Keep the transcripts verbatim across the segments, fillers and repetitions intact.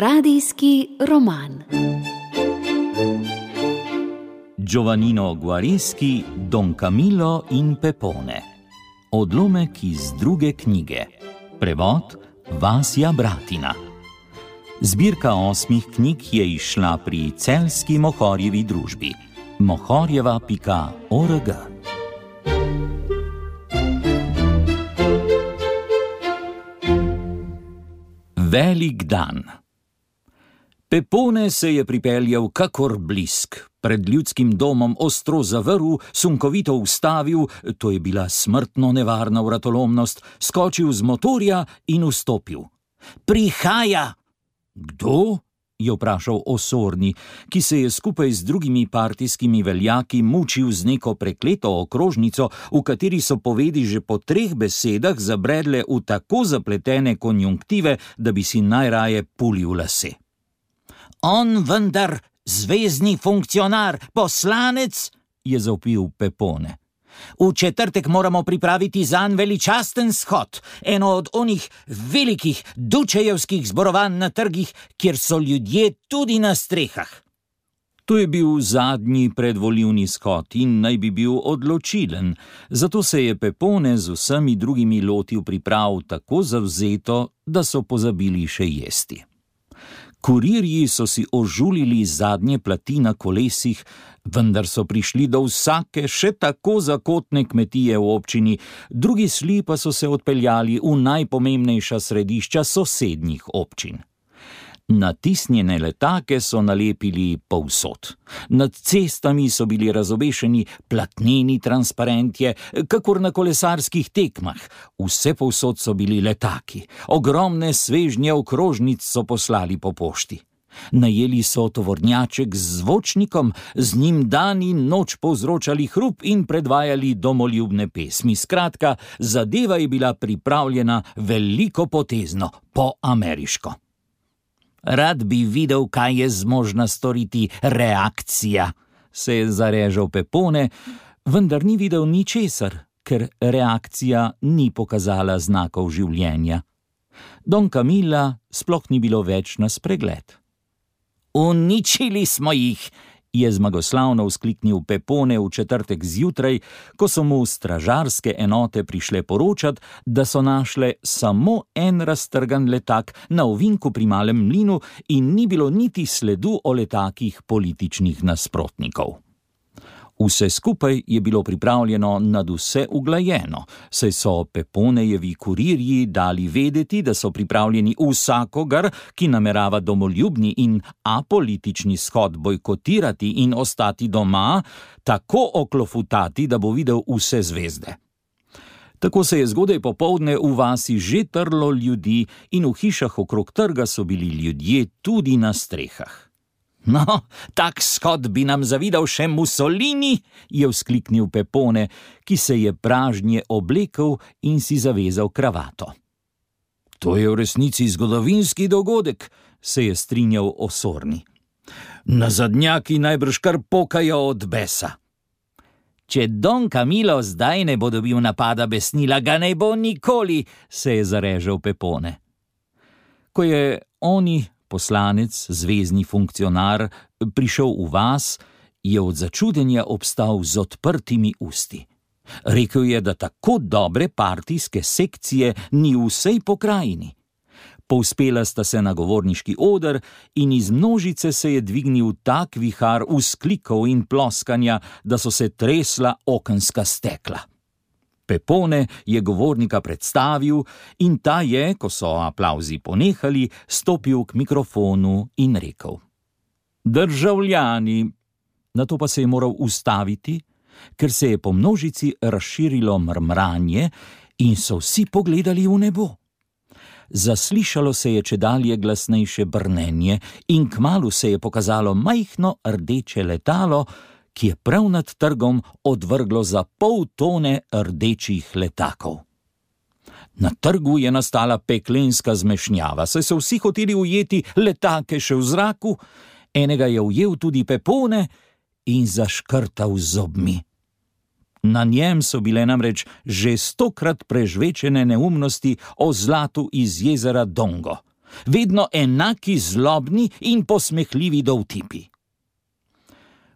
Radijski roman. Giovannino Guareschi, Don Camillo in Pepone. Odlomek iz druge knjige. Prevod Vasja Bratina. Zbirka osmih knjig je izšla pri Celjski Mohorjevi družbi. mohorjeva pika org. Velik dan. Pepone se je pripeljal kakor blisk. Pred ljudskim domom ostro zavrl, sunkovito ustavil, to je bila smrtno nevarna vratolomnost, skočil z motorja in vstopil. Prihaja! Kdo? Je vprašal Osorni, ki se je skupaj z drugimi partijskimi veljaki mučil z neko prekleto okrožnico, v kateri so povedi že po treh besedah zabredle v tako zapletene konjunktive, da bi si najraje pulil lase. On vendar zvezni funkcionar, poslanec, je zavpil Pepone. V četrtek moramo pripraviti zanj veličasten shod, eno od onih velikih dučejevskih zborovanj na trgih, kjer so ljudje tudi na strehah. To je bil zadnji predvolilni shod in naj bi bil odločilen, zato se je Pepone z vsemi drugimi lotil priprav tako zavzeto, da so pozabili še jesti. Kurirji so si ožulili zadnje plati na kolesih, vendar so prišli do vsake še tako zakotne kmetije v občini, drugi sli pa so se odpeljali v najpomembnejša središča sosednjih občin. Natisnjene letake so nalepili povsod. Nad cestami so bili razobešeni platneni transparentje, kakor na kolesarskih tekmah. Vse povsod so bili letaki. Ogromne svežnje okrožnic so poslali po pošti. Najeli so tovornjaček z zvočnikom, z njim dan in noč povzročali hrup in predvajali domoljubne pesmi. Skratka, zadeva je bila pripravljena veliko potezno, po ameriško. Rad bi videl, kaj je zmožna storiti reakcija, se je zarežal Pepone, vendar ni videl ničesar, ker reakcija ni pokazala znakov življenja. Don Camilla sploh ni bilo več na spregled. Uničili smo jih, je zmagoslavno vzkliknil Pepone v četrtek zjutraj, ko so mu stražarske enote prišle poročat, da so našle samo en raztrgan letak na ovinku pri Malem mlinu in ni bilo niti sledu o letakih političnih nasprotnikov. Vse skupaj je bilo pripravljeno nadvse uglajeno, saj so Peponejevi kurirji dali vedeti, da so pripravljeni vsakogar, ki namerava domoljubni in apolitični shod bojkotirati in ostati doma, tako oklofutati, da bo videl vse zvezde. Tako se je zgodaj popoldne v vasi že trlo ljudi in v hišah okrog trga so bili ljudje tudi na strehah. No, tak shod bi nam zavidal še Mussolini, je vzkliknil Pepone, ki se je pražnje oblekel in si zavezal kravato. To je v resnici zgodovinski dogodek, se je strinjal Osorni. Nazadnjaki najbrž kar pokajo od besa. Če Don Camillo zdaj ne bo dobil napada besnila, ga ne bo nikoli, se je zarežal Pepone. Ko je oni, poslanec, zvezni funkcionar, prišel v vas, je od začudenja obstal z odprtimi usti. Rekel je, da tako dobre partijske sekcije ni v vsej pokrajini. Povzpela sta se na govorniški oder in iz množice se je dvignil tak vihar vzklikov in ploskanja, da so se tresla okenska stekla. Pepone je govornika predstavil in ta je, ko so aplavzi ponehali, stopil k mikrofonu in rekel: Državljani, nato pa se je moral ustaviti, ker se je po množici razširilo mrmranje in so vsi pogledali v nebo. Zaslišalo se je čedalje glasnejše brnenje in kmalu se je pokazalo majhno rdeče letalo, ki je prav nad trgom odvrglo za pol tone rdečih letakov. Na trgu je nastala peklenska zmešnjava, saj so vsi hoteli ujeti letake še v zraku, enega je ujel tudi Pepone in zaškrtal z zobmi. Na njem so bile namreč že stokrat prežvečene neumnosti o zlatu iz jezera Dongo. vedno enaki zlobni in posmehljivi dovtipi.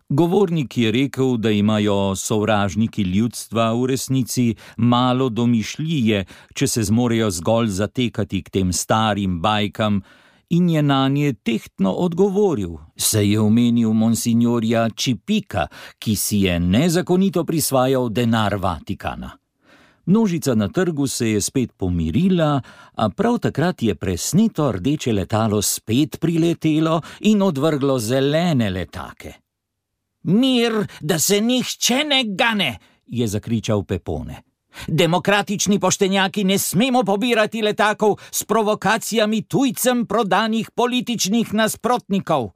Govornik je rekel, da imajo sovražniki ljudstva v resnici malo domišljije, če se zmorejo zgolj zatekati k tem starim bajkam, in je nanje tehtno odgovoril, saj je omenil monsignorja Čipika, ki si je nezakonito prisvajal denar Vatikana. Množica na trgu se je spet pomirila, a prav takrat je presneto rdeče letalo spet priletelo in odvrglo zelene letake. Mir, da se nihče ne gane, je zakričal Pepone. Demokratični poštenjaki ne smemo pobirati letakov s provokacijami tujcem prodanih političnih nasprotnikov.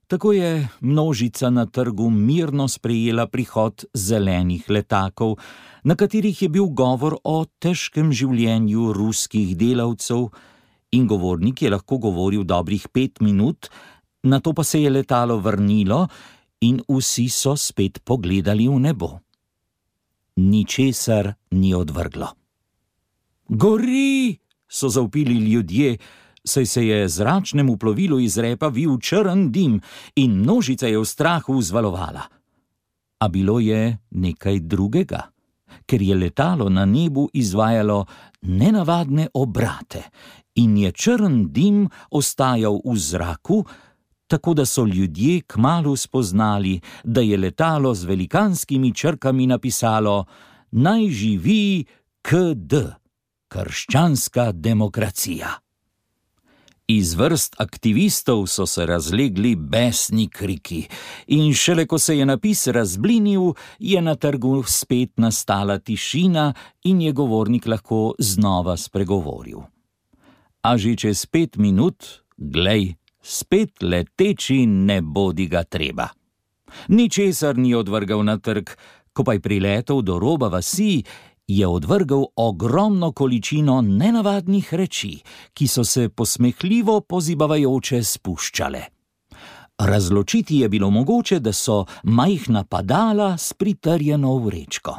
Tako je množica na trgu mirno sprejela prihod zelenih letakov, na katerih je bil govor o težkem življenju ruskih delavcev, in govornik je lahko govoril dobrih pet minut, nato pa se je letalo vrnilo in vsi so spet pogledali v nebo. Ničesar ni odvrglo. Gori, so zavpili ljudje, saj se je zračnemu plovilu iz repa vil črn dim in množica je v strahu vzvalovala. A bilo je nekaj drugega, ker je letalo na nebu izvajalo nenavadne obrate in je črn dim ostajal v zraku, tako da so ljudje kmalu spoznali, da je letalo z velikanskimi črkami napisalo Naj živi K D, krščanska demokracija. Iz vrst aktivistov so se razlegli besni kriki in šele ko se je napis razblinil, je na trgu spet nastala tišina in je govornik lahko znova spregovoril. A že čez pet minut, glej, spet leteči ne bodi ga treba. Ničesar ni odvrgal na trg, ko pa je priletel do roba vasi, je odvrgal ogromno količino nenavadnih reči, ki so se posmehljivo pozibavajoče spuščale. Razločiti je bilo mogoče, da so majhna padala s pritrjeno vrečko.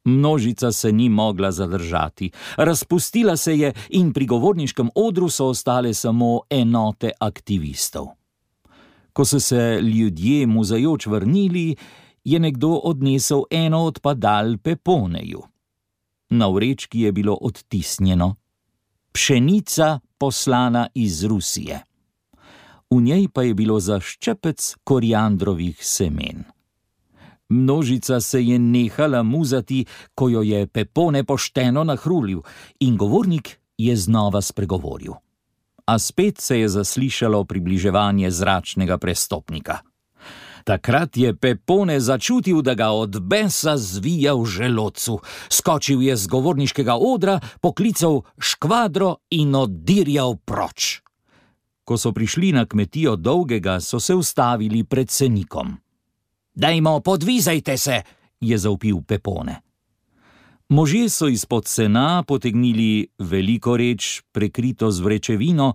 Množica se ni mogla zadržati, razpustila se je in pri govorniškem odru so ostale samo enote aktivistov. Ko so se ljudje muzajoč vrnili, je nekdo odnesel eno od padal Peponeju. Na vrečki je bilo odtisnjeno: Pšenica poslana iz Rusije. V njej pa je bilo za ščepec koriandrovih semen. Množica se je nehala muzati, ko jo je Pepone pošteno nahrulil, in govornik je znova spregovoril. A spet se je zaslišalo približevanje zračnega prestopnika. Takrat je Pepone začutil, da ga od besa zvija v želodcu. Skočil je z govorniškega odra, poklical škvadro in oddirjal proč. Ko so prišli na kmetijo Dolgega, so se ustavili pred senikom. Dajmo, podvizajte se, je zavpil Pepone. Možje so izpod sena potegnili veliko reč, prekrito z vrečevino,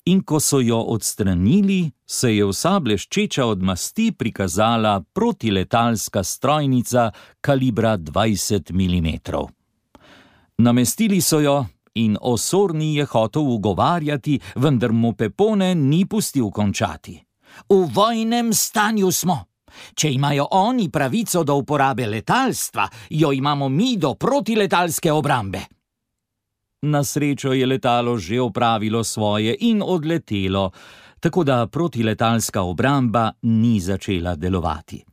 in ko so jo odstranili, se je vsa bleščeča od masti prikazala protiletalska strojnica kalibra dvajset milimetrov. Namestili so jo in osorni je hotel ugovarjati, vendar mu Pepone ni pustil končati. V vojnem stanju smo. Če imajo oni pravico do uporabe letalstva, jo imamo mi do protiletalske obrambe. Na srečo je letalo že opravilo svoje in odletelo, tako da protiletalska obramba ni začela delovati.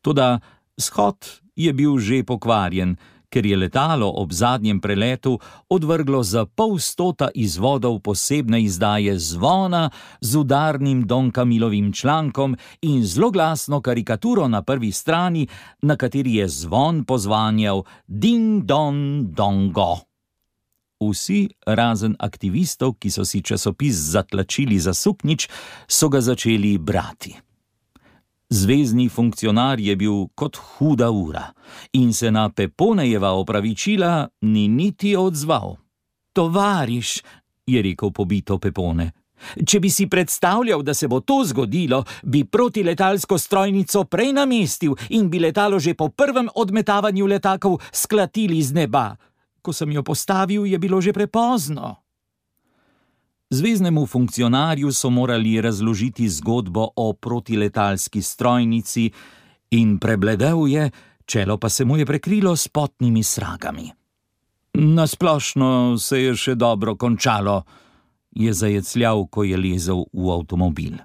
Toda shod je bil že pokvarjen, ker je letalo ob zadnjem preletu odvrglo za pol stota izvodov posebne izdaje zvona z udarnim Don Camilovim člankom in zloglasno karikaturo na prvi strani, na kateri je zvon pozvanjal Ding Don Dongo. Vsi, razen aktivistov, ki so si časopis zatlačili za suknjič, so ga začeli brati. Zvezni funkcionar je bil kot huda ura in se na Peponejeva opravičila ni niti odzval. Tovariš, je rekel pobito Pepone, če bi si predstavljal, da se bo to zgodilo, bi protiletalsko strojnico prej namestil in bi letalo že po prvem odmetavanju letakov sklatili z neba. Ko sem jo postavil, je bilo že prepozno. Zveznemu funkcionarju so morali razložiti zgodbo o protiletalski strojnici in prebledel je, čelo pa se mu je prekrilo s potnimi sragami. Nasplošno se je še dobro končalo, je zajecljal, ko je lezel v avtomobil.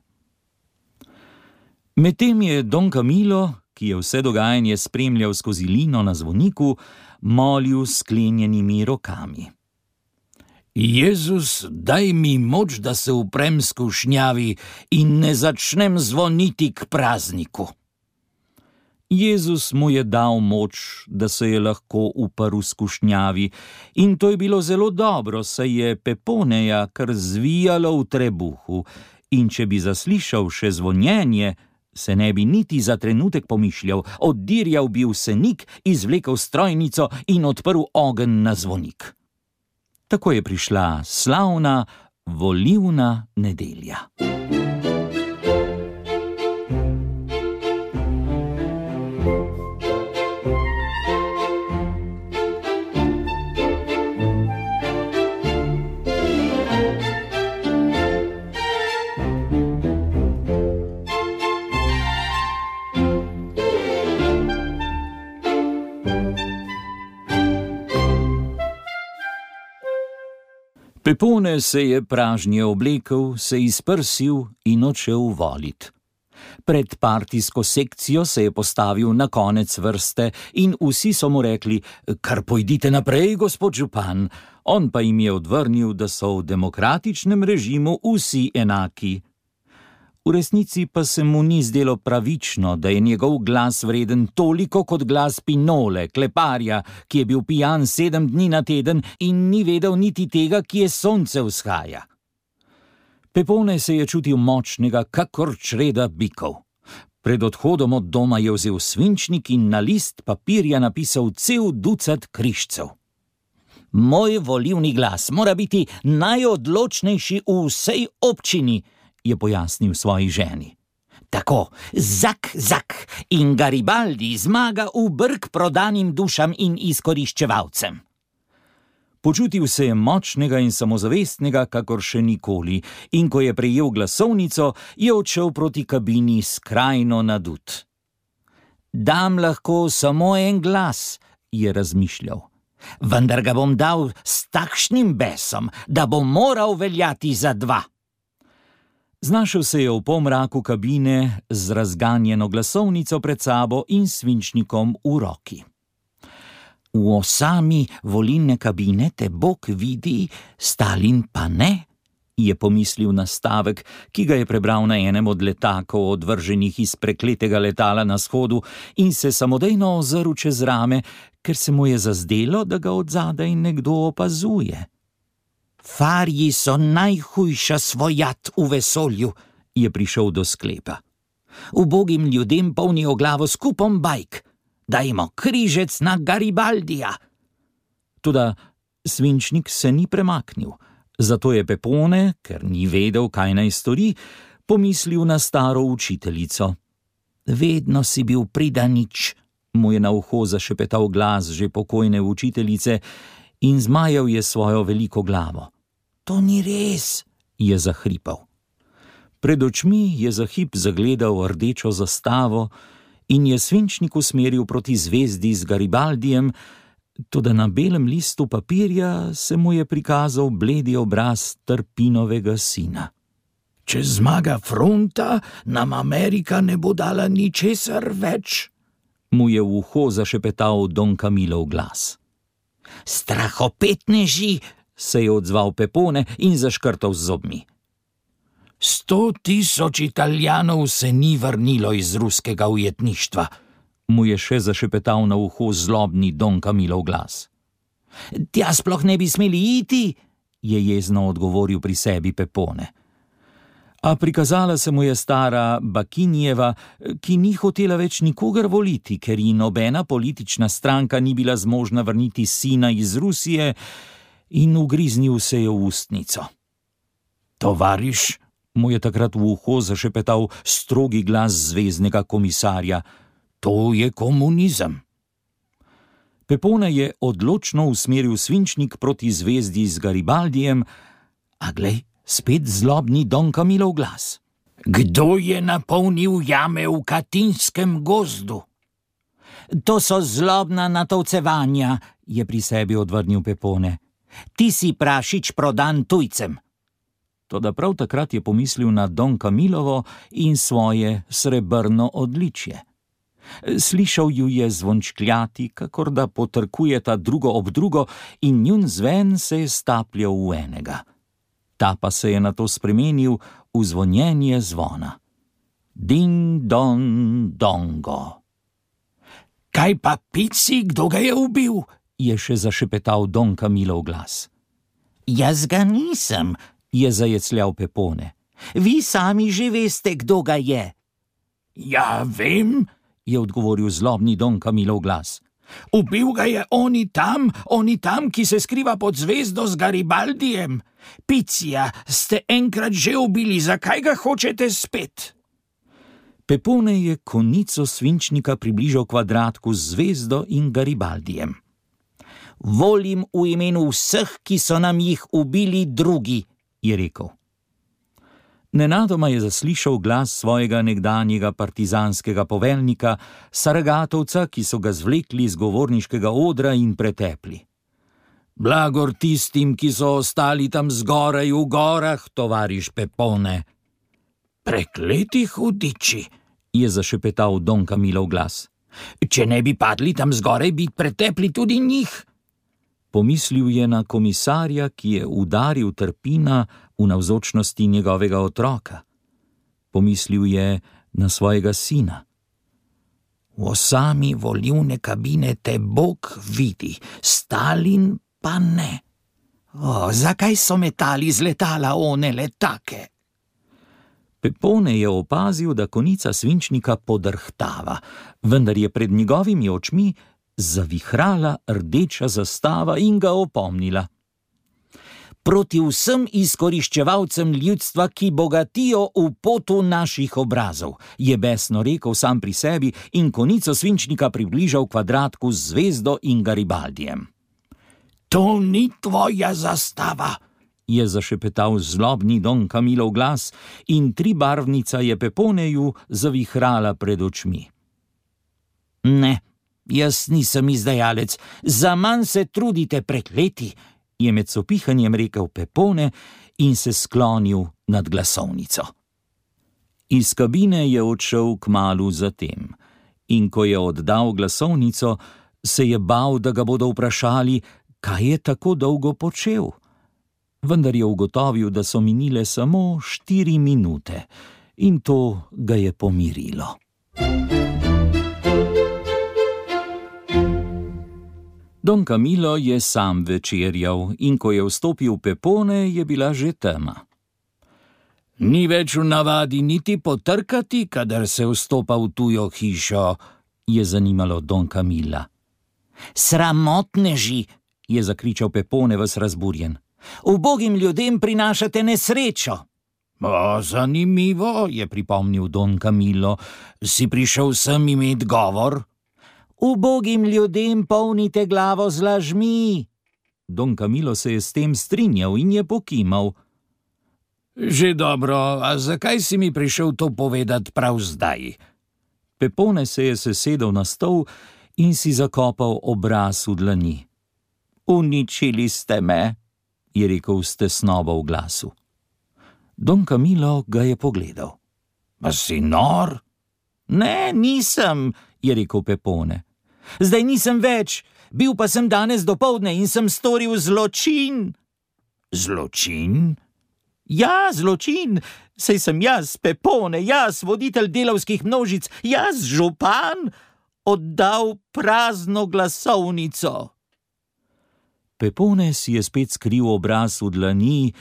Medtem je Don Camilo, ki je vse dogajanje spremljal skozi lino na zvoniku, molil s sklenjenimi rokami. Jezus, daj mi moč, da se uprem skušnjavi in ne začnem zvoniti k prazniku. Jezus mu je dal moč, da se je lahko uprl skušnjavi, in to je bilo zelo dobro, saj je Peponeja kar zvijalo v trebuhu, in če bi zaslišal še zvonjenje, se ne bi niti za trenutek pomišljal, oddirjal bi v senik, izvlekel strojnico in odprl ogenj na zvonik. Tako je prišla slavna volilna nedelja. Pepone se je pražnje oblekel, se izprsil in odšel volit. Pred partijsko sekcijo se je postavil na konec vrste in vsi so mu rekli, kar pojdite naprej, gospod župan. On pa jim je odvrnil, da so v demokratičnem režimu vsi enaki. V resnici pa se mu ni zdelo pravično, da je njegov glas vreden toliko kot glas Pinole, kleparja, ki je bil pijan sedem dni na teden in ni vedel niti tega, kje sonce vzhaja. Pepone se je čutil močnega, kakor čreda bikov. Pred odhodom od doma je vzel svinčnik in na list papirja napisal cel ducat križcev. Moj volilni glas mora biti najodločnejši v vsej občini, je pojasnil svoji ženi. Tako, zak, zak in Garibaldi zmaga v brk prodanim dušam in izkoriščevalcem. Počutil se je močnega in samozavestnega, kakor še nikoli, in ko je prejel glasovnico, je odšel proti kabini skrajno nadut. Dam lahko samo en glas, je razmišljal. Vendar ga bom dal s takšnim besom, da bom moral veljati za dva. Znašel se je v pomraku kabine z razganjeno glasovnico pred sabo in svinčnikom v roki. V osami volilne kabine te Bog vidi, Stalin pa ne, je pomislil na stavek, ki ga je prebral na enem od letakov, odvrženih iz prekletega letala na shodu, in se samodejno ozrl čez rame, ker se mu je zazdelo, da ga odzadaj nekdo opazuje. Farji so najhujša svojat v vesolju, je prišel do sklepa. Ubogim ljudem polnijo glavo s kupom bajk. Dajmo križec na Garibaldija. Toda svinčnik se ni premaknil, zato je Pepone, ker ni vedel, kaj naj stori, pomislil na staro učiteljico. Vedno si bil pridanič, mu je na uho zašepetal glas že pokojne učiteljice, in zmajal je svojo veliko glavo. To ni res, je zahripal. Pred očmi je za hip zagledal rdečo zastavo in je svinčnik usmeril proti zvezdi z Garibaldijem, toda na belem listu papirja se mu je prikazal bledi obraz Trpinovega sina. Če zmaga fronta, nam Amerika ne bo dala ničesar več, mu je v uho zašepetal Don Camilov glas. Strahopetneži, se je odzval Pepone in zaškrtal z zobmi. Sto tisoč Italijanov se ni vrnilo iz ruskega ujetništva, mu je še zašepetal na uho zlobni Don Camilov glas. Tja sploh ne bi smeli iti, je jezno odgovoril pri sebi Pepone. A prikazala se mu je stara Bakinjeva, ki ni hotela več nikogar voliti, ker ji nobena politična stranka ni bila zmožna vrniti sina iz Rusije, in ugriznil se je v ustnico. Tovariš, mu je takrat v uho zašepetal strogi glas zveznega komisarja, to je komunizem. Pepone je odločno usmeril svinčnik proti zvezdi z Garibaldijem, a glej, Spet zlobni Don Camilov glas. Kdo je napolnil jame v Katinskem gozdu? To so zlobna natovcevanja, je pri sebi odvrnil Pepone. Ti si prašič prodan tujcem. Toda prav takrat je pomislil na Don Camilovo in svoje srebrno odličje. Slišal ju je zvončkljati, kakor da potrkujeta drugo ob drugo, in njun zven se je stapljal v enega. Ta pa se je nato spremenil v zvonjenje zvona. Ding don dongo. Kaj pa pici, kdo ga je ubil? Je še zašepetal Don Camilov glas. Jaz ga nisem, je zajecljal Pepone. Vi sami že veste, kdo ga je. Ja, vem, je odgovoril zlobni Don Camilov glas. Ubil ga je oni tam, oni tam, ki se skriva pod zvezdo z Garibaldijem. Picija, ste enkrat že ubili, zakaj ga hočete spet? Pepone je konico svinčnika približal kvadratku z zvezdo in Garibaldijem. Volim v imenu vseh, ki so nam jih ubili drugi, je rekel. Nenadoma je zaslišal glas svojega nekdanjega partizanskega poveljnika, Saragatovca, ki so ga zvlekli z govorniškega odra in pretepli. Blagor tistim, ki so ostali tam zgoraj v gorah, tovariš Pepone. Prekleti hudiči, je zašepetal Don Camilov glas. Če ne bi padli tam zgoraj, bi pretepli tudi njih. Pomislil je na komisarja, ki je udaril Trpina v navzočnosti njegovega otroka. Pomislil je na svojega sina. V osami volilne kabine te Bog vidi, Stalin pa ne. O, zakaj so metali z letala one letake? Pepone je opazil, da konica svinčnika podrhtava, vendar je pred njegovimi očmi zavihrala rdeča zastava in ga opomnila. Proti vsem izkoriščevalcem ljudstva, ki bogatijo v potu naših obrazov, je besno rekel sam pri sebi in konico svinčnika približal kvadratku z zvezdo in Garibaldijem. To ni tvoja zastava, je zašepetal zlobni Don Camilov glas in tribarvnica je Peponeju zavihrala pred očmi. Ne, jaz nisem izdajalec, zaman se trudite prekleti, je med sopihanjem rekel Pepone in se sklonil nad glasovnico. Iz kabine je odšel kmalu zatem in ko je oddal glasovnico, se je bal, da ga bodo vprašali, kaj je tako dolgo počel. Vendar je ugotovil, da so minile samo štiri minute in to ga je pomirilo. Don Camilo je sam večerjal in ko je vstopil Pepone, je bila že tema. Ni več v navadi niti potrkati, kadar se vstopa v tujo hišo, je zanimalo Don Camila. Sramotneži, je zakričal Pepone ves razburjen. Ubogim ljudem prinašate nesrečo. O, zanimivo, je pripomnil Don Camilo. Si prišel sem imet govor? Ubogim ljudem polnite glavo z lažmi. Don Camilo se je s tem strinjal in je pokimal. Že dobro, a zakaj si mi prišel to povedati prav zdaj? Pepone se je sesedel na stol in si zakopal obraz v dlani. Uničili ste me, je rekel s tesnobo v glasu. Don Camilo ga je pogledal. Pa si nor? Ne, nisem, je rekel Pepone. Zdaj nisem več, bil pa sem danes dopoldne in sem storil zločin. Zločin? Ja, zločin, saj sem jaz, Pepone, jaz, voditelj delavskih množic, jaz, župan, oddal prazno glasovnico. Pepone si je spet skril obraz v dlani,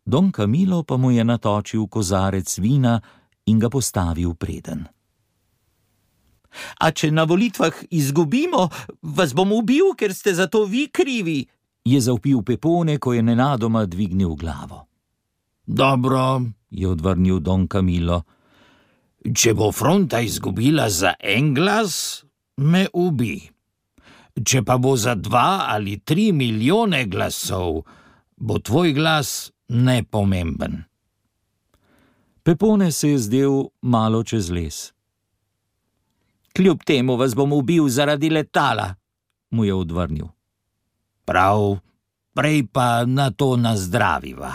Don Camilo pa mu je natočil kozarec vina in ga postavil preden. A če na volitvah izgubimo, vas bom ubil, ker ste za to vi krivi, je zavpil Pepone, ko je nenadoma dvignil glavo. Dobro, je odvrnil Don Camilo. Če bo fronta izgubila za en glas, me ubi. Če pa bo za dva ali tri milijone glasov, bo tvoj glas nepomemben. Pepone se je zdel malo čez les. Kljub temu vas bom ubil zaradi letala, mu je odvrnil. Prav, prej pa na to nazdraviva.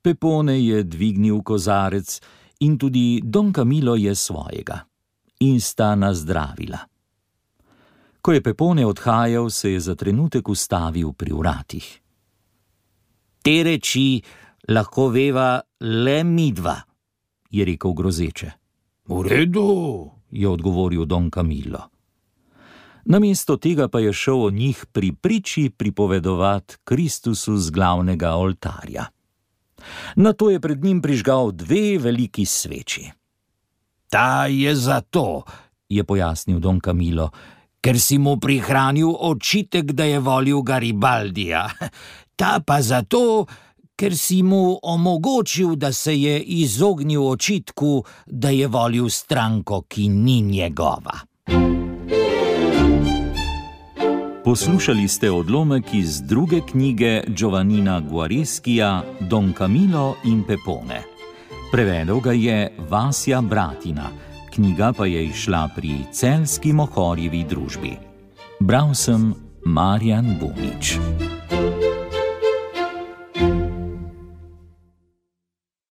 Pepone je dvignil kozarec in tudi Don Camillo je svojega. In sta nazdravila. Ko je Pepone odhajal, se je za trenutek ustavil pri vratih. Te reči lahko veva le midva, je rekel grozeče. V redu, je odgovoril Don Camillo. Namesto tega pa je šel o njih pri priči pripovedovat Kristusu z glavnega oltarja. Nato je pred njim prižgal dve veliki sveči. Ta je zato, je pojasnil Don Camillo, ker si mu prihranil očitek, da je volil Garibaldija. Ta pa zato, ker si mu omogočil, da se je izognil očitku, da je volil stranko, ki ni njegova. Poslušali ste odlomek iz druge knjige Giovannina Guareskija Don Camillo in Pepone. Prevedel ga je Vasja Bratina, knjiga pa je izšla pri Celjski Mohorjevi družbi. Bral sem Marjan Bunič.